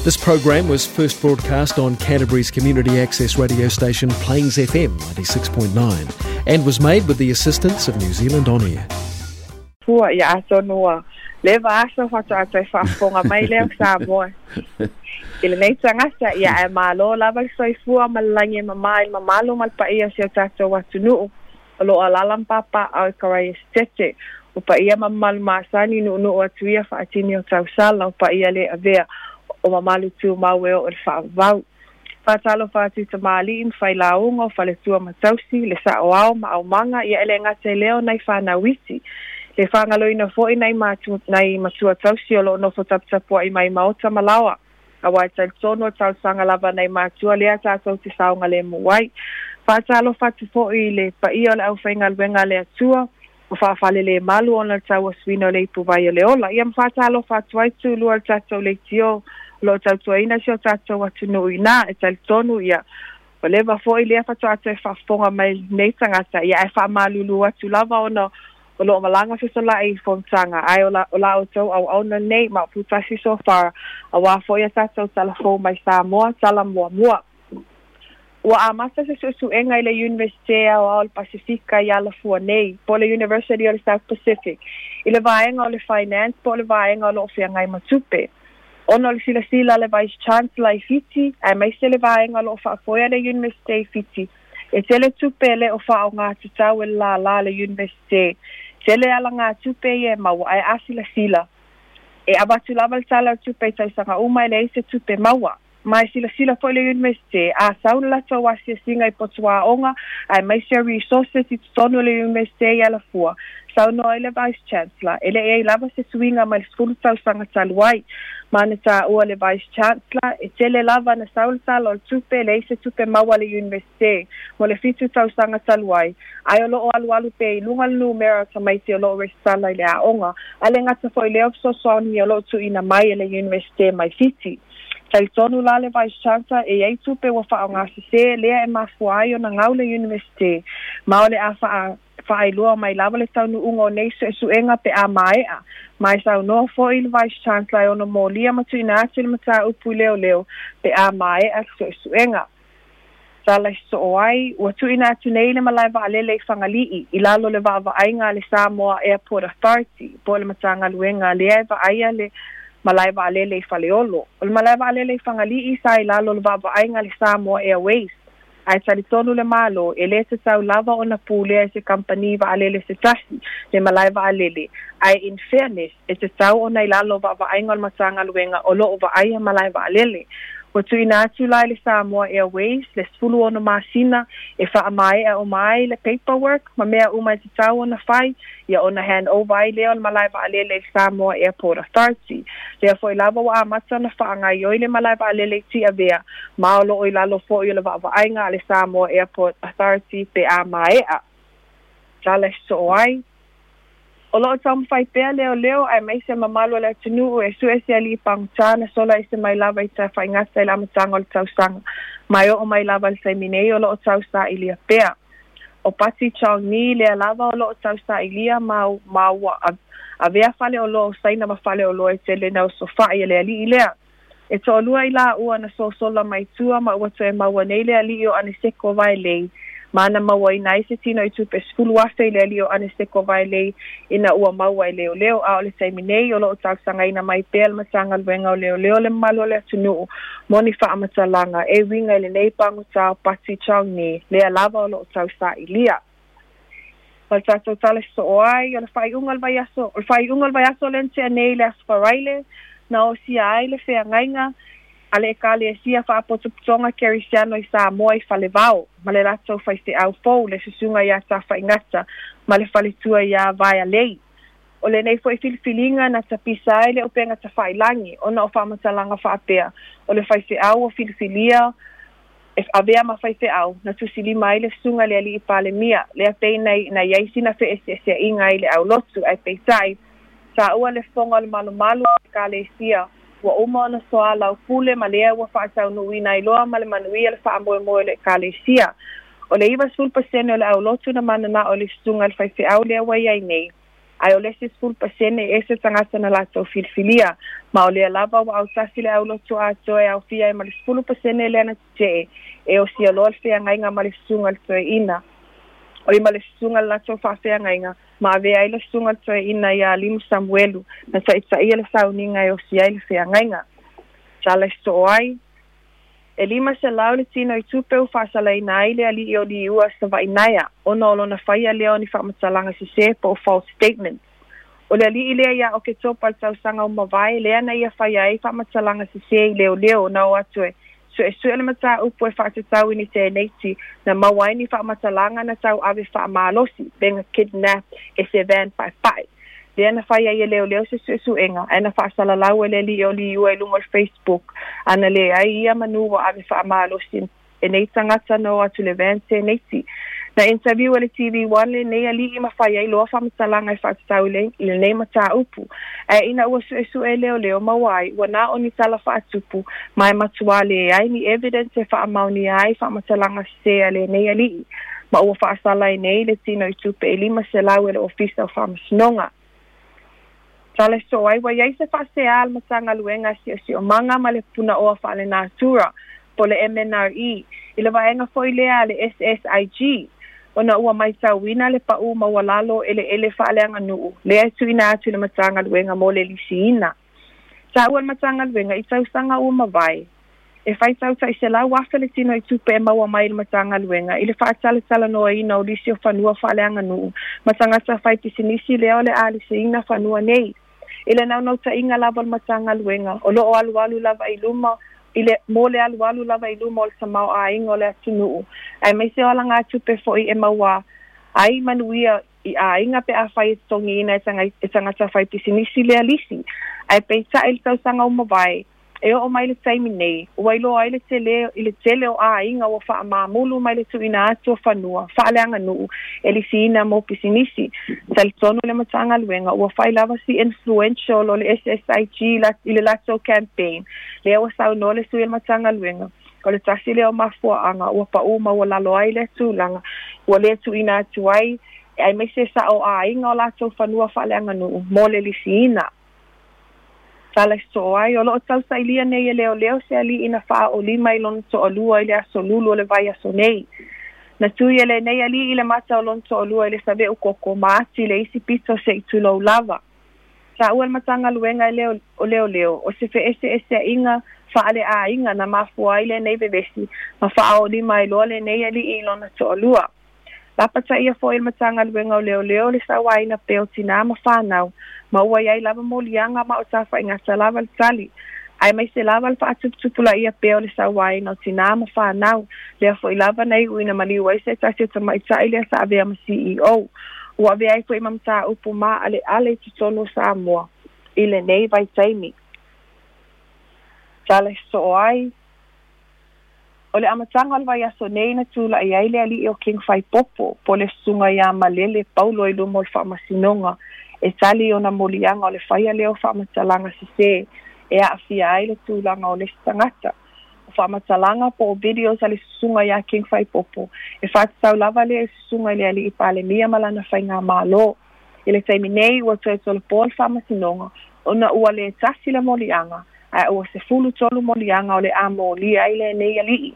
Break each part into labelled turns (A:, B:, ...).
A: This program was first broadcast on Canterbury's community access radio station Plains FM 96.9 and was made with the assistance of New Zealand On Air.
B: Fua ia atonu ua leva aso faatoa toe faafofoga mai lea o Samoa i lenei tagata, ia ae malo lava le soifua ma le lagi e mamā i le mamalu ma le paia o si o tatou atunuu o loo alaala ma papaaao i Karaia-Sitete. O paia ma mamalu masani nuunuu atu ia faatini o tausala, o paia le avea o mamalu tumau e oo i le faavavau. Faatalofa atu i tamalii ma failauga o faletua ma tausi, le saoao ma aumaga, ia e le gata i lea o nai fanau iti. Le faagaloina foi nai nai matua tausi o loo nofo taputapuai mai maota ma laoa. Aua e talitonu o talosaga lava nai matua lea tatou te saogalemu ai. Faatalofa atu foi i le paia o le aufaigaluega a le Atua o faafalelemalu ona o le tauasuina o le ipuvai o le ola. Ia ma faatalofa atu ai tulua i le tatou leitio o loo tautuaina si o tatou atunuu iina. E talitonu ia ua leva foi lea faatoa toe faafofoga mai lenei tagata, ia ae faamalulu atu lava ona o loo malaga fesolai i fonotaga, ae o la outou auauna lenei ma o Putasi so far auā foi a tatou talafou mai Samoa tala muamua. Ua amata se suesuega i le Iunivesite Aoao o le Pasefika i Alafua nei, po o le University o le South Pacific, i le vaega o le Finance po o le vaega o loo feagai ma tupe. Ona o le silasila a le Vice Chancellor i Fiti, aemaise le vaega o loo faafoea le Iunivesite i Fiti, e tele tupe e le o faaaogā tatau e le lālā a le Iunivesite. Tele alagatupe ia e maua, ae a silasila, e avatu lava le tala o le tupe i tausaga uma e leai se tupe maua. Ma e silasila foi le Iunivesite, a sau le latou asiasiga i potuaoga aemaise o resources i totonu o le Iunivesite i Alafua, saunoa ai le Vice Chancellor, e le i ai lava se suiga mai le 10 tausaga talu ai. Ma na taua le Vice Chancellor, e tele lava na sau le tala o le tupe, e leai se tupe maua a le Iunivesite mo le 7 tausaga talu ai, ae o loo alualu pea i luga le numera o tamaiti o loo resitala i le aoga, ae le gata foi i lea o fesoasoani o loo tuuina mai e le Iunivesite mai Fiti. Talitonu la le Vice Chancellor e i ai tupe ua faaaogasesē lea e mafua ai ona gau le Iunivesite, ma o le a faailoa mai lava le taunuuga o nei suesuega pe a maea. Ma e saunoa foi le Vice Chancellor e ono molia ma tuuina atu le mataupu i leoleo pe a maea le suesuega. Tala i sosoo ai, ua tuuina atu nei le malae vaalele i Fagalii i lalo o le vaavaaiga a le Samoa Airport Authority po o le Matagaluega lea e vaaia le malae vaalele i Faleolo. O le malae vaalele i Fagalii sa i lalo o le vaavaaiga a le Samoa Airways, ae talitonu le Malo e le tatau lava ona pulea e se kamupani vaalele se tasi le malae vaalele, ae in fairness e tatau ona i lalo o vaavaaiga o le Matagaluega o loo vaaia malae vaalele. Ua tuuina atu la i le Samoa Airways le 16 masina e faamaea uma ai le paperwork ma mea uma e tatau ona fai, ia ona hand over ai lea o le malae vaalele i le Samoa Airport Authority. Lea foi lava ua amata ona faagaioi le malae vaalele i Tiavea, ma o loo i lalo foi o le vaavaaiga a le Samoa Airport Authority pe a maea. Tala e sosoo ai. O loo taumafai pea leoleo aemaise mamalu o le atunuu e sue se alii pagotā na sola ese mai lava i Tafaigata i le amataga o le tausaga, ma e oo mai lava i le taimi nei o loo tausailia pea. O Pati Chong Ni lea lava o loo tausailia ma ma ua avea faleoloa o Saina ma faleoloa e tele na osofai e le alii lea. E toalua i laua na sosola mai tua ma ua toe maua nei le alii o Aneseko Vaelei, ma na mauaina ai se tino i tupe 10,000 i le alii o Aneseko Vaelei ina ua maua e leoleo. A o le taimi nei o loo talosagaina mai pea le Matagaluega o Leoleo le mamalu o le atunuu mo ni faamatalaga e uiga i lenei pagotā o Pati Chong Ni lea lava o loo tausailia. Ma le tatou tala sosoo ai, o le faaiuga o le vaiaso, o le faaiuga o le vaiaso lea na tea nei i le Aso Faraile, na osia ai le feagaiga a le Ekalesia Faapotopotoga Kerisiano i Samoa i Falevao ma le latou faifeau fou le Susuga ia Tafaigata ma le faletua ia Vaealei. O lenei foi filifiliga na tapisa ai le upega tafailagi ona o faamatalaga faapea o le faifeau ua filifilia e avea ma faifeau na tusilima ai le susuga i le alii Palemia lea pei na i ai sina feeseeseaiga ai le aulotu, ae peitai taua le fofoga o le malumalu o le Ekalesia ua uma ona soalaupule ma lea ua faataunuuina ai loa ma le manuia le faamoemoe o le Ekalesia. O le 90% o le aulotu na mananao i le susuga i le faifeau lea ua i ai nei, Ae o le isi 10% e ese tagata na latou filifilia. Ma o lea lava ua autasi le aulotu atoa e aofia ai ma le 10% lea na tetee e osia loa le feagaiga ma le susuga i le toeaina. Oi ma le susuga i le latou faafeagaiga ma avea ai le susuga i le toeaina ia Alimu Samuelu na taitaia le sauniga e osia ai le feagaiga. Tala e soo ai, e 500 le tino i tupe ua faasalaina ai le alii o Liua Savainaea ona o lona faia lea o ni faamatalaga sesē po o false statements. O le alii lea ia Oketopa i le tausaga ua mavae lea na ia faia ai faamatalaga sesē i leoleo na o atu e suesue le mataupu e faatatau i ni teneiti na maua ai ni faamatalaga na tauave faamalosi pe na kidnap e se van paepae. Lea na fai ai e leoleo se suesuega ae na faasalalau e le alii o Liua i luga o le Facebook ana leai ia manu ua ave faamalosi e nei tagata na o atu i le van teneiti. Na interview e le TV One lenei alii ma fai ai loa faamatalaga e faatatau i lenei mataupu. Ae ina ua suesue e leoleo maua ai ua na o ni tala faatupu ma e matuā leai ni evidence e faamaonia ai faamatalaga sesē a lenei alii. Ma ua faasala ai nei le tino i tupe e 500 e le Ofisa o Faamasinoga. Tala e soo ai ua i ai se faasea a le Matagaluega a Siosiomaga ma le Punaoa Faalenatura, po o le MNRE, i le vaega foi lea a le SSIG, ona ua matauina le paū maualalo o eleele faaleaganuu lea e tuuina atu i le Matagaluega mo le lisiina. Taua le Matagaluega i tausaga ua mavae, E faitau tai 100,000 le tino i tupe e maua mai i le Matagaluega i le faatalatalanoaina o lisi o fanua faaleaganuu ma tagata fai pisinisi lea o le a lisiina fanua nei. I le naunautaiga lava o le Matagaluega, o lo o alualu lava i luma i le mo le alualu lava i luma o le tamaoaiga o le atunuu, aemaise o alagatupe foi e maua ai manuia i aiga pe afai e totogiina e tagata fai pisinisi lea lisi. Ae peitai i le tausaga ua mavae, E oo mai le taimi nei, ua iloa ai le tele i le tele o aiga ua faamamulu mai le tuuina atu o fanua faaleaganuu e lisiina mo pisinisi. Talitonu le Matagaluega ua fai lava si influential o le SSIG i le latou campaign lea ua saunoa le sui o le Matagaluega o le tasi lea o mafuaaga ua paū maualalo ai lea tulaga ua le tuuina atu ai aemaise sao aiga o latou fanua faaleaganuu mo le lisiina. Tala e soo ai, o lo o tausailia nei e leoleo se alii na faaolima i lona toalua i le aso Lulu o le vaiaso nei. Na tui e lenei alii i le mata o lona toalua i le saveu koko ma ati i le isi pito se i tulou lava. Taua le Matagaluega e leo, o leoleo, o se feeseeseaiga faaleaiga na mafua ai lenei vevesi ma faaolima ai loa lenei alii i lona toalua. Lapataia foi e le Matagaluega o Leoleo le sauaina pea o tinā ma fanau, ma ua i ai lava moliaga ma o tafaigata lava le tali, aemaise lava le faatuputupulaia pea o le sauaina o tinā ma fanau, lea foi lava na iu ina maliu ai se tasi o tamaitai lea sa avea ma CEO. Ua avea ai foi ma mataupu maaleale i totonu o Samoa i lenei vaitaimi. Tala e soo ai. O le amataga o le vaiaso nei na tulai ai le alii o King Faipopo, po o le susuga ia Malele Paulo i luma o le faamasinoga e tali i ona moliaga o le faia lea o faamatalaga sesē e aafia ai le tulaga o le isi tagata. O faamatalaga po o videos a le susuga ia King Faipopo e faatatau lava lea i susuga i le alii Palemia ma lana faigamalo. I le taimi nei ua toe tolopo le faamasinoga ona ua le tasi le moliaga ae ua 13 moliaga o le a molia ai lenei alii.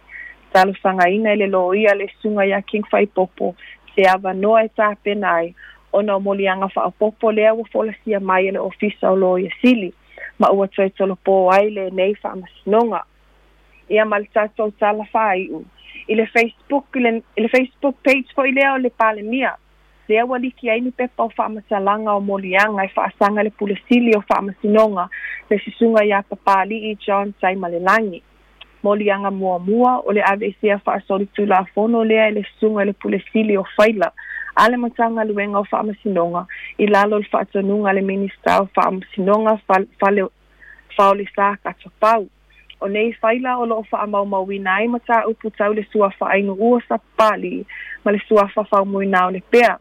B: Talosagaina e le loia le susuga ia King Faipopo se avanoa e tapena ai ona o moliaga faaopoopo lea ua folasia mai e le Ofisa o Loia Sili ma ua toe tolopo ai lenei faamasinoga. Ia ma le tatou tala faaiu i le Facebook i le Facebook page foi lea o le Palemia. Lea ua liki ai ni pepa o faamatalaga o moliaga e faasaga le Pule Sili o Faamasinoga le Susuga ia Papalii John Taimalelagi. Moliaga muamua o le aveesea faasolitulafono lea e le Susuga i le Pule Sili o Faila a le Matagaluega o Faamasinoga i lalo o le faatonuga a le Minisita o Faamasinoga Fale Faolesā Katopau. O nei faila o lo o faamaumauina ai mataupu tau le suafa ainuua sa Papalii ma le suafa Faumuina o Lepea.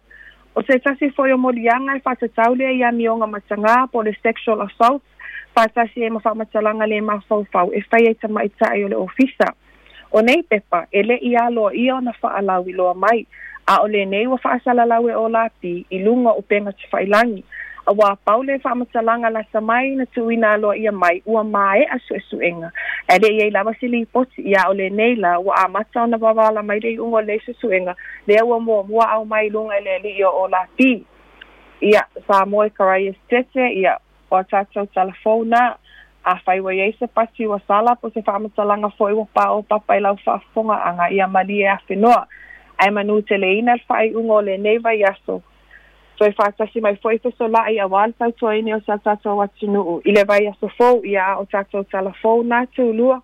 B: O se tasi foi o moliaga e faatatau lea i amioga matagā po o le sexual assault faatasi ai ma faamatalaga le mafaufau e fai ai tamaitai o le ofisa. O nei pepa, e le i aloaia ona faalauiloa mai, A o lenei ua faasalalau e Olapi i luga o upega tafailagi. Auā pau le faamatalaga lata mai na tuuina aloaia mai ua maea suesuega. Ae le i ai lava se lipoti, ia o lenei la ua amata ona vavaala mai le iuga o lenei suesuega, lea ua muamua aumai i luga e le alii o Olapi. Ia, Samoa e Karius Tete, ia, o a tatou talafou na, afai ua i ai se pati ua sala po o se faamatalaga foi ua paopapa i lau faafofogaaga, ia malie afenoa. Ae manuteleina le faaiuga o lenei vaiaso. Toe faatasi mai foi fesolaai auā le tautuaina o sa tatou atunuu i le vaiaso fou, ia a o tatou talafou na tulua.